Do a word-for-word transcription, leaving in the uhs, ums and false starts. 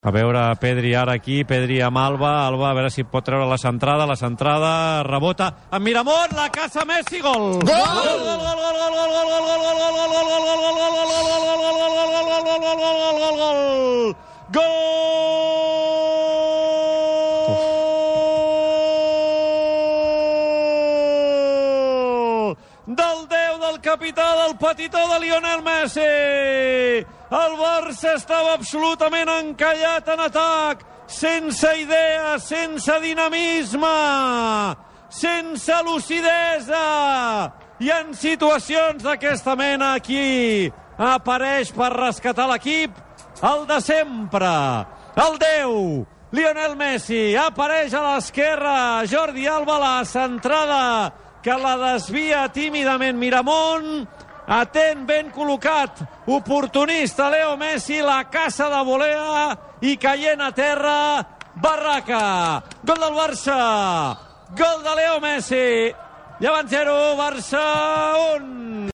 A veure, Pedri ara aquí, Pedri amb Alba, Alba a veure si pot treure la centrada, la centrada, rebota, amb Miramont, la caça Messi, gol! Gol! Del déu del capità del petitó de Lionel Messi. El Barça estava absolutament encallat en atac, sense idea, sense dinamisme, sense lucidesa. I en situacions d'aquesta mena aquí apareix per rescatar l'equip el de sempre, el déu, Lionel Messi. Apareix a l'esquerra Jordi Alba, la centrada que la desvia tímidament Miramont. Atent, ben col·locat, oportunista Leo Messi, la caça de volea i caient a terra, Barraca. Gol del Barça, gol de Leo Messi. Llevant zero, Barça un.